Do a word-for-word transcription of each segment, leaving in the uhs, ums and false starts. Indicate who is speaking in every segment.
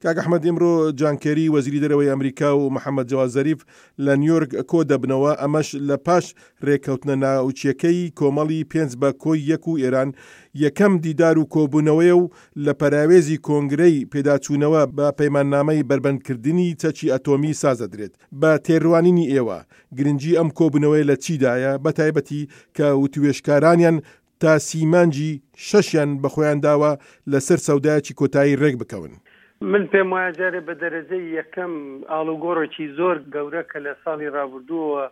Speaker 1: کاک ئەحمەد، ئمڕۆ جان کێری وەزیری دەرەوەی ئەمریکا و محەممەد جەواد زەریف لە نیویۆرک کۆ دەبنەوە، ئەمەش لە پاش رێککەوتنە ناوچیەکەی کۆمەڵی پێنج بە کۆی یەک و ئێران یەکەم دیدار و کۆبوونەوەیە و لە پەراوێزی کۆنگرەی پێداچوونەوە بە پەیماننامەی بەربەندکردنی چەکی ئەتۆمی سازدەدرێت. بە تێڕوانینی ئێوە گرنگی ئەم کۆبوونەوەی لە چیدایە، بە تایبەتی کە وتوێژکارانیان تا سی مانگی شەشیان بەخۆیان داوە لەسەر سەودایەکی کۆتایی ڕێک بکەون؟
Speaker 2: من پێم وایە جارێ بە دەرەجەی یەکەم ئاڵوگۆڕێکی زۆر گەورە کە لە ساڵی ڕابردووەوە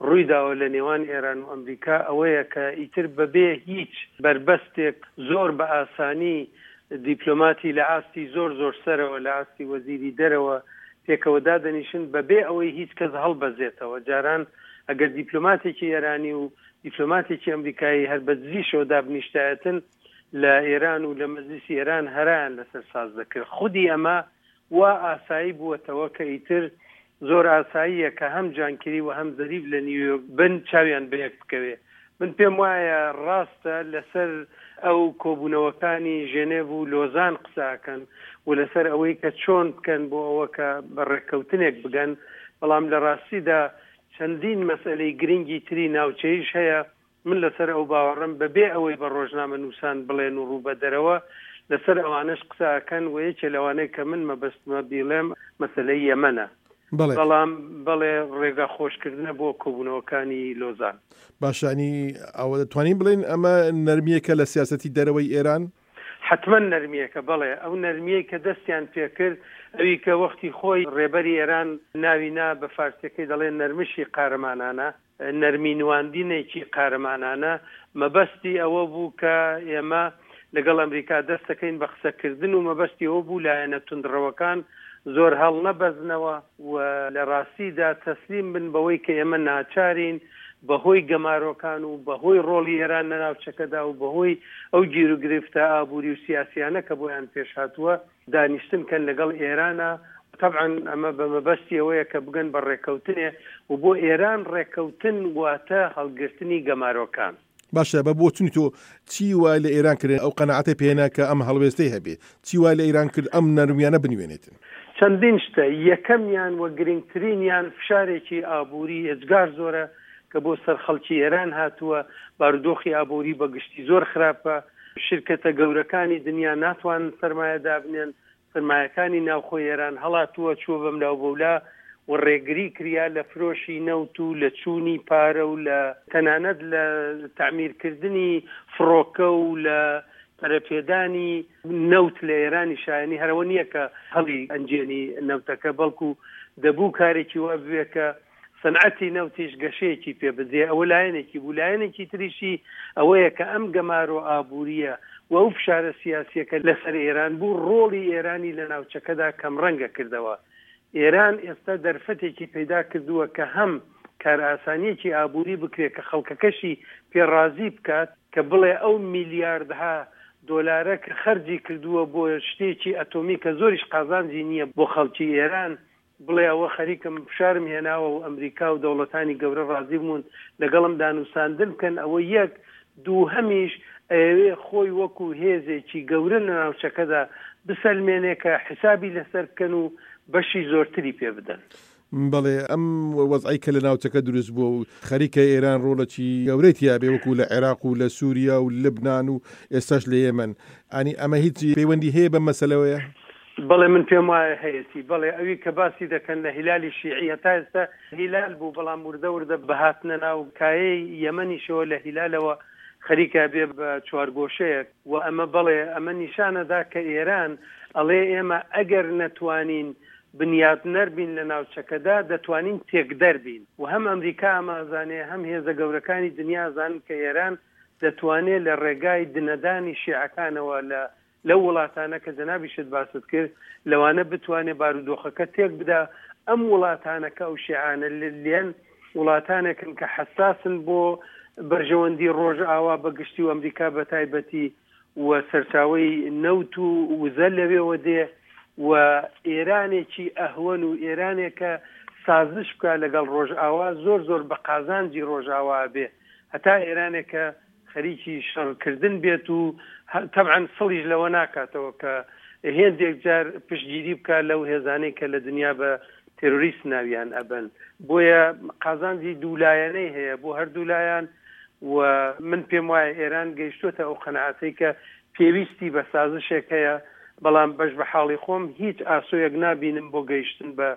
Speaker 2: ڕووی داوە لە نێوان ئێران و ئەمریکا ئەوەیە کە ئیتر بەبێ هیچ بەربەستێک زۆر بە ئاسانی دیپلۆماتی لە ئاستی زۆر زۆر سەرەوە، لە ئاستی وەزیری دەرەوە پێکەوە دادەنیشن بەبێ ئەوەی هیچ کەس هەڵبەزێتەوە. جاران ئەگەر دیپلۆماتێکی ئێرانی و دیپلۆماتێکی ئەمریکایی هەر بە دزیشەوە دابنیشتایەتن لە ئێران و لە مەجلیسی ئێران هەرایان لەسەر ساز دەکرد. خودی ئەمە وا ئاسایی بووەتەوە کە ئیتر زۆر ئاساییە کە هەم جان کێری و هەم زەریف لە نیویۆرک بن چاویان بەیەک بکەوێ. من پێم وایە ڕاستە لەسەر ئەو کۆبوونەوەکانی ژێنێڤ و لۆزان قساکەن و لەسەر ئەوەی کە چۆن بکەن بۆ ئەوە کە بە ڕێککەوتنێک بگەن، بەڵام لە ڕاستیدا چەندین مەسئلەی گرنگی تری ناوچەیش هەیە. من لەسەر ئەو باوەڕم بەبێ ئەوەی بە ڕۆژنامە نووسان بڵێن و ڕوو بە دەرەوە لەسەر ئەوانەش قسەکەن و یەکێ لەوانەیە کە من مەبەستمە بیڵێم مەسەلەی یەمەنە. بەڵام بەڵێ ڕێگا خۆشکردنە بۆ کۆبوونەوەکانی لۆزان.
Speaker 1: باشانی ئەوە دەتوانین بڵێن ئەمە نەرمیەکە لە سیاسەتی دەرەوەی ئێران؟
Speaker 2: حتمما نەرمیەکە، بەڵێ. ئەو نەرمیەی کە دەستیان پێکرد، ئەوی کە وەختی خۆی ڕێبەری ئێران ناوی نا بە فارسیەکەی دەڵێن نەرمشی قارەمانانە، نەرمی نواندینێکی قارەمانانە، مەبەستی ئەوە بوو کە ئێمە لەگەڵ ئەمریکا دەستەکەین بە قسەکردن و مەبەستی ئەوە بوو لایەنە توندڕەوەکان زۆر هەڵ نەبەزنەوە و لە ڕاستیدا تەسلیم بن بەوەی کە ئێمە ناچارین بەهۆی گەمارۆکان و بەهۆی ڕۆڵی ئێران لە ناوچەکەدا و بەهۆی ئەو گیروگرفتە ئابووری و سیاسیانە کە بۆیان پێش هاتووە دانیشتن کەن لەگەڵ ئێرانە. طبعا ئەمە بە مەبەستی ئەوەیە کە بگەن بە ڕێککەوتنێ و بۆ ئێران ڕێککەوتن واتە هەڵگرتنی گەمارۆکان.
Speaker 1: باشە، بە بۆچونی تۆ چی وای لە ئێران کرد ئەو قەناعەتەی پێنا کە ئەم هەڵوێستەی هەبێ؟ چی وای لە ئێران کرد ئەم نەرمیانە بنوێنێتن؟
Speaker 2: چەندین شتە. یەکەمیان و گرنگترینیان فشارێکی ئابووری ئێجگار زۆرە کە بۆ سەر خەڵکی ئێران هاتووە. بارودۆخی ئابووری بەگشتی زۆر خراپە، شرکەتە گەورەکانی دنیا ناتوانن سەرمایە دابنێن، سەرمایەکانی ناوخۆی ئێران هەڵاتووە چووە بەملاو بەولا و ڕێگری کریا لە فرۆشی نەوت و لە چوونی پارە و لە تەنانەت لە تعمیرکردنی فڕۆکە و لە پەرەپێدانی نەوت لە ئێرانی شایانی هەرەوە نییە کە هەڵی ئەنجێنی نەوتەکە، بەڵکو دەبوو کارێکی وا بوێ کە سەنعەتی نەوتیش گەشەیەکی پێ بدرێ. ئەوە لایەنێکی بوو. لایەنێکی تریشی ئەوەیە کە ئەم گەمارۆ ئابووریە و ئەو فشارە سیاسیەکە لەسەر ئێران بوو ڕۆڵی ئێرانی لە ناوچەکەدا کەمڕەنگە کردەوە. ئێران ئێستا دەرفەتێکی پەیدا کردووە کە هەم کارئاسانیەکی ئابووری بکرێت کە خەڵکەکەشی پێڕازی بکات، کە بڵێ ئەو میلیاردها دۆلارە کە خەرجی کردووە بۆ شتێکی ئەتۆمی کە زۆریش قازانجی نییە بۆ خەڵکی ئێران، بڵێ ئەوە خەریکم فشارم هێناوە و ئەمریکا و دەوڵەتانی گەورە ڕازی بوون لەگەڵم دانوساندن بکەن. ئەوە یەک. دووهەمیش ئەیەوێ خۆی وەکو هێزێکی گەورە لە ناوچەکەدا بسەلمێنێ کە حسابی لەسەر بکەن و بەشی زۆرتری پێ بدەن.
Speaker 1: بەڵێ، ئەم وەزعی کە لە ناوچەکە دروست بووە و خەریکە ئێران ڕۆڵێکی گەورەی تیا بێ وەکو لە عێراق و لە سووریا و لبنان و ئێستاش لە یەمەن، ئەنی ئەمە هیچ پەیوەندی هەیە بەم مەسەلەوەیە؟
Speaker 2: بەڵێ، من پێم وایە هەیەتی. بەڵێ، ئەوی کە باسی دەکەن لە هیلالی شیعی، هەتا ئێستا هیلال بوو، بەڵام وردە وردە بەهاتنە ناو کایەی یەمەنیشەوە لە هیلالەوە خەریکە بێ بە چوارگۆشەیەک. و ئەمە بەڵێ ئەمە نیشانەدا کە ئێران ئەڵێ ئێمە ئەگەر نەتوانین بنیاتنەر بین لە ناوچەکەدا دەتوانین تێکدەر بین. و هەم ئەمریکا ئەمازانێ هەم هێزە گەورەکانی دنیا زانن کە ئێران دەتوانێت لە ڕێگای دنەدانی شیعەکانەوە لە لەو وڵاتانە کە جەنابیشت باست کرد لەوانە بتوانێت بارودۆخەکە تێک بدا. ئەم وڵاتانە کە ئەو شیعانە لێن وڵاتانێکن کە حەساسن بۆ بەرژەوەندی ڕۆژئاوا بە گشتی و ئەمریکا بە تایبەتی و سەرچاوەی نەوت و وزە لەوێوە دێ و ئێرانێکی ئەهوەن و ئێرانێکە سازش بکە لەگەڵ ڕۆژئاوا زۆر زۆر بە قازانجی ڕۆژئاوا بێ، هەتا ئێرانێکە خەریکی شەڕکردن بێت و تەبعەن سڵیش لەوە ناکاتەوە کە هێندێک جار پشتگیری بکات لەو هێزانەی کە لە دنیا بە تێرۆریست ناویان ئەبن. بۆیە قازانجی دوولایەنەی هەیە بۆ هەردوو لایەن و من پێم وایە ئێران گەیشتوتە ئەو قەناعەتەی کە پێویستی بە سازشێک هەیە، بەڵام بەش بە حاڵی خۆم هیچ ئاسۆیەک نابینم بۆ گەیشتن بە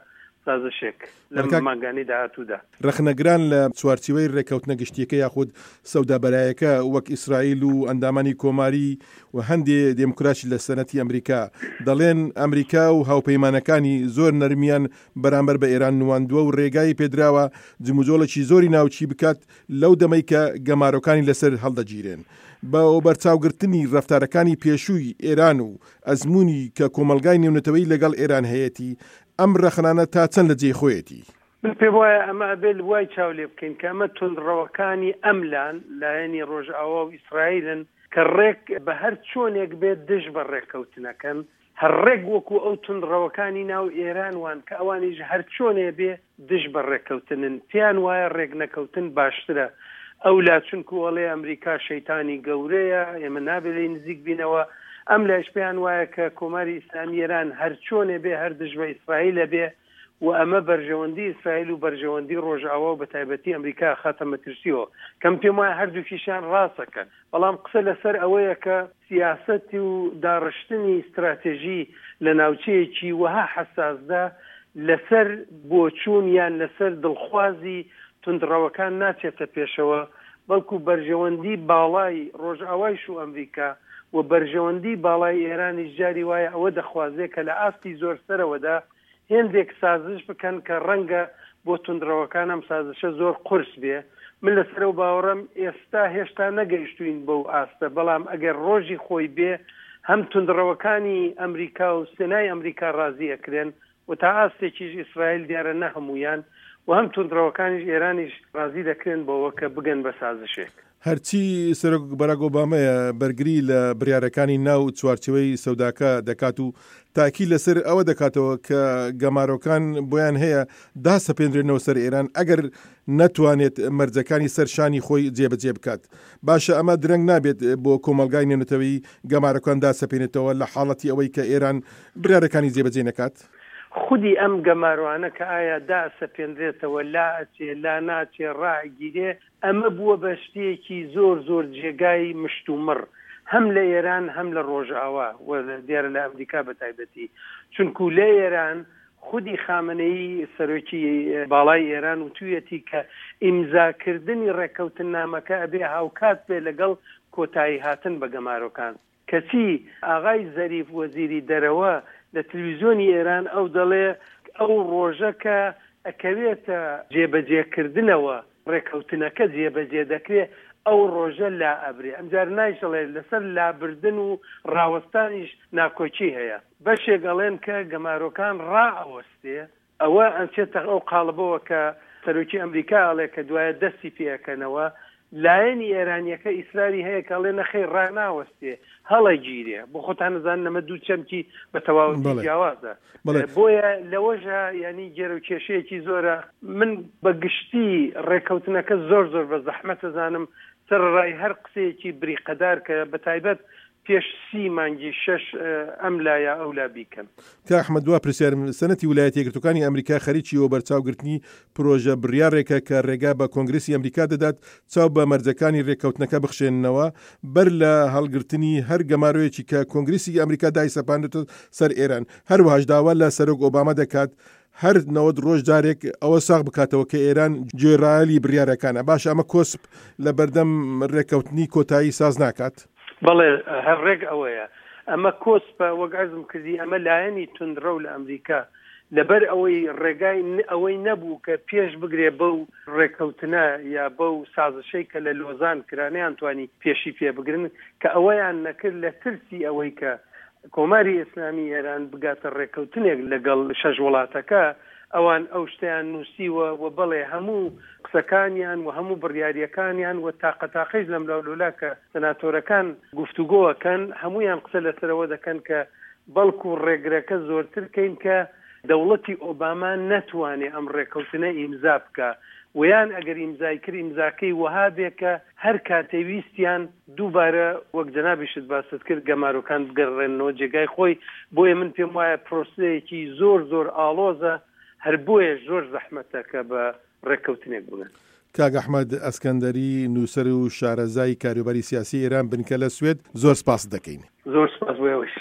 Speaker 2: سازشێک لەم مانگانی داهاتوودا.
Speaker 1: ڕەخنەگران لە چوارچیوەی ڕێککەوتنە گشتیەکە یاخود سەودابەرایەکە وەک ئیسرائیل و ئەندامانی کۆماری و هەندێ دێموکراتی لە سەنەتی ئەمریکا دەڵێن ئەمریکا و هاوپەیمانەکانی زۆر نەرمیان بەرامبەر بە ئێران نواندووە و ڕێگای پێدراوە جموجۆڵێکی زۆری ناوچی بکات لەو دەمەی کە گەمارۆکانی لەسەر هەڵدەگیرێن. بە بەرچاوگرتنی ڕەفتارەکانی پێشووی ئێران و ئەزمموی کە کۆمەلگای نێونەتەوەی لەگەڵ ئێران هەیەی، ئەم ڕەخنانە تا چەند لە جێی خۆیەتی؟
Speaker 2: من پێم وایە ئەمە ئەبێت وای چاو لێ بکەین کە ئەمە توندڕەوەکانی ئەملان لایەنی ڕۆژئاوا و ئیسرائیلن کە ڕێک بە هەر چۆنێک بێت دژ بە ڕێککەوتنەکەن، هەر ڕێک وەکو ئەو توندڕەوەکانی ناو ئێران وان کە ئەوانیش هەر چۆنێ بێ دژ بە ڕێککەوتنن، پێیان وایە ڕێک نەکەوتن باشترە. ئەو لا چونکو ئەڵێ ئەمریکا شەیتانی گەورەیە، ئێمە نابێت لێی نزیک بینەوە. ئەم لایش پێیان وایە کە کۆماری ئیسلامی ئێران هەر چۆنێ بێ هەر دژ بە ئیسرائیلە بێ و ئەمە بەرژەوەندی ئیسرائیل و بەرژەوەندی ڕۆژئاوا و بەتایبەتی ئەمریکا خاتە مەترسیەوە. کەم پێم وایە هەردووکیشیان ڕاستەکەن، بەڵام قسە لەسەر ئەوەیە کە سیاسەت و داڕشتنی استراتێژی لە ناوچەیەکی وەها حەساسدا لەسەر بۆچوون یان لەسەر دڵخوازی توندڕەوەکان ناچێتە پێشەوە، بەڵکو بەرژەوەندی باڵای ڕۆژئاوایش و ئەمریکا و بەرژەوەندی باڵای ئێرانیش جاری وایە ئەوە دەخوازێت کە لە ئاستی زۆر سەرەوەدا هێندێک سازش بکەن کە ڕەنگە بۆ توندڕەوەکان ئەم سازشە زۆر قورس بێ. من لەسەر ئەو باوەڕم ئێستا هێشتا نەگەیشتوین بەو ئاستە، بەڵام ئەگەر ڕۆژی خۆی بێ هەم توندڕەوەکانی ئەمریکا و سێنای ئەمریکا ڕازی ئەکرێن و تا ئاستێکیش ئیسرائیل دیارە نە هەمویان و هەم توندڕەوەکانیش ئێرانیش ڕازی دەکرێن بەوە کە بگەن بە سازشێک.
Speaker 1: هەرچی سەرۆک باراک ئۆبامەیە بەرگری لە بڕیارەکانی ناو چوارچێوەی سەوداکە دەکات و تاکی لەسەر ئەوە دەکاتەوە کە گەمارۆکان بۆیان هەیە داسەپێنرێنەوە سەر ئێران ئەگەر نەتوانێت مەرجەکانی سەر شانی خۆی جێبەجێ بکات. باشە ئەمە درەنگ نابێت بۆ کۆمەلگای نێونەتەوەی گەمارۆکان داسەپێنێتەوە لە حاڵەتی ئەوەی کە ئێران بڕیارەکانی جێبەجێ نەکات؟
Speaker 2: خودی ئەم گەمارۆانە کە ئایا داسەپێنرێتەوە لا ئەچێ لا ناچێ ڕائگیرێ، ئەمە بووە بە شتێکی زۆر زۆر جێگای مشتومڕ هەم لە ئێران هەم لە ڕۆژئاوا و دیارە لە ئەمریکا بە تایبەتی، چونکو لە ئێران خودی خامنەیی سەرۆکی باڵای ئێران وتوویەتی کە ئیمزاکردنی ڕێککەوتننامەکە ئەبێ هاوکات بێ لەگەڵ کۆتایی هاتن بە گەمارۆکان. کەچی ئاغای زەریف وەزیری دەرەوە لە تلویزیۆنی ئێران ئەو دەڵێ ئەو ڕۆژە کە ئەکەوێتە جێبەجێکردنەوە ڕێککەوتنەکە جێبەجێ دەکرێت ئەو ڕۆژە لا ئەبرێ. ئەمجار نایشڵێ لەسەر لابردن و ڕاوەستانیش ناکۆکی هەیە. بەشێک ئەڵێن کە گەمارۆکان ڕائەوەستێ، ئەوە ئەچێتە ئەو قاڵبەوە کە سەرۆکی ئەمریکا ئەڵێ کە دوایە دەستی پێەکەنەوە. لایەنی ئێرانیەکە ئیسراری هەیە کە ئەڵێ نەخەی ڕاناوەستێ هەڵەگیرێ. بۆ خۆتان نەزانن ئەمە دوو چەمکی بە تەواوەتی جیاوازە. بۆیە لەوەشە ینی گێرە و کێشەیەکی زۆرە. من بە گشتی ڕێککەوتنەکە زۆر زۆر بە زەحمەت ئەزانم، سەرەڕای هەر قسەیەکی بریقەدار کە بە تایبەت پێش سی مانگی شەش ئەم لا یا ئەو لا بیکەن.
Speaker 1: کاک ئەحمەد دوا پرسیارم، سەنەتی ویلایەتە یەکگرتووەکانی ئەمریکا خەریکی وەبەرچاوگرتنی پرۆژە بڕیارێکە کە ڕێگا بە کۆنگرسی ئەمریکا دەدات چاو بە مەرجەکانی ڕێککەوتنەکە بخشێننەوە بەر لە هەڵگرتنی هەر گەمارۆیەکی کە کۆنگرسی ئەمریکا دایسەپاندێتە سەر ئێران. هەروەهاش داوا لە سەرۆک ئۆباما دەکات هەر نەوەد ڕۆژ جارێک ئەوە ساغ بکاتەوە کە ئێران گوێڕایەلی بڕیارەکانە. باشە ئەمە کۆسپ لە بەردەم ڕێککەوتنی کۆتایی ساز ناکات؟
Speaker 2: بەڵێ هەر ڕێک ئەوەیە، ئەمە کۆسپە. وەک عەرزم کردی ئەمە لایەنی توندڕەو لە ئەمریکا لەبەر ئەوەی ڕێگای ئەوەی نەبوو کە پێش بگرێ بەو ڕێککەوتنە یا بەو سازشەی کە لە لۆزان کرا، نەیانتوانی پێشی پێ بگرن، کە ئەوەیان نەکرد لە ترسی ئەوەی کە کۆماری ئیسلامی ئێران بگاتە ڕێککەوتنێک لەگەڵ شەش وڵاتەکە، ئەوان ئەو شتیان نووسیوە و بەڵێ هەموو قسەکانیان و هەموو بڕیاریەکانیان و تاقە تاقەیش لەملاولولا کە سناتۆرەکان گفتوگۆەکەن هەمویان قسە لەسەرەوە دەکەن کە بەڵکو ڕێگرەکە زۆرتر کەین کە دەوڵەتی ئۆباما نەتوانێ ئەم ڕێککەوتنە ئیمزا بکە. ویان ئەگەر ئیمزای کرد ئیمزاکەی وەها بێ کە هەر کاتێ ویستیان دووبارە وەک جەنابیشت باست کرد گەمارۆکان بگەڕێننەوە جێگای خۆی. بۆیە من پێم وایە پرۆسەیەکی زۆر زۆر ئاڵۆزە، هەر بۆیەش زۆر زەحمەتە کە بە ڕێککەوتنێک بگەن.
Speaker 1: کاک ئەحمەد ئەسکەندەری، نووسەر و شارەزای کاروباری سیاسی ئێران، بنکە لە سوێد، زۆر سپاست دەکەین.
Speaker 2: زۆر سپاس بۆ ئێوەش.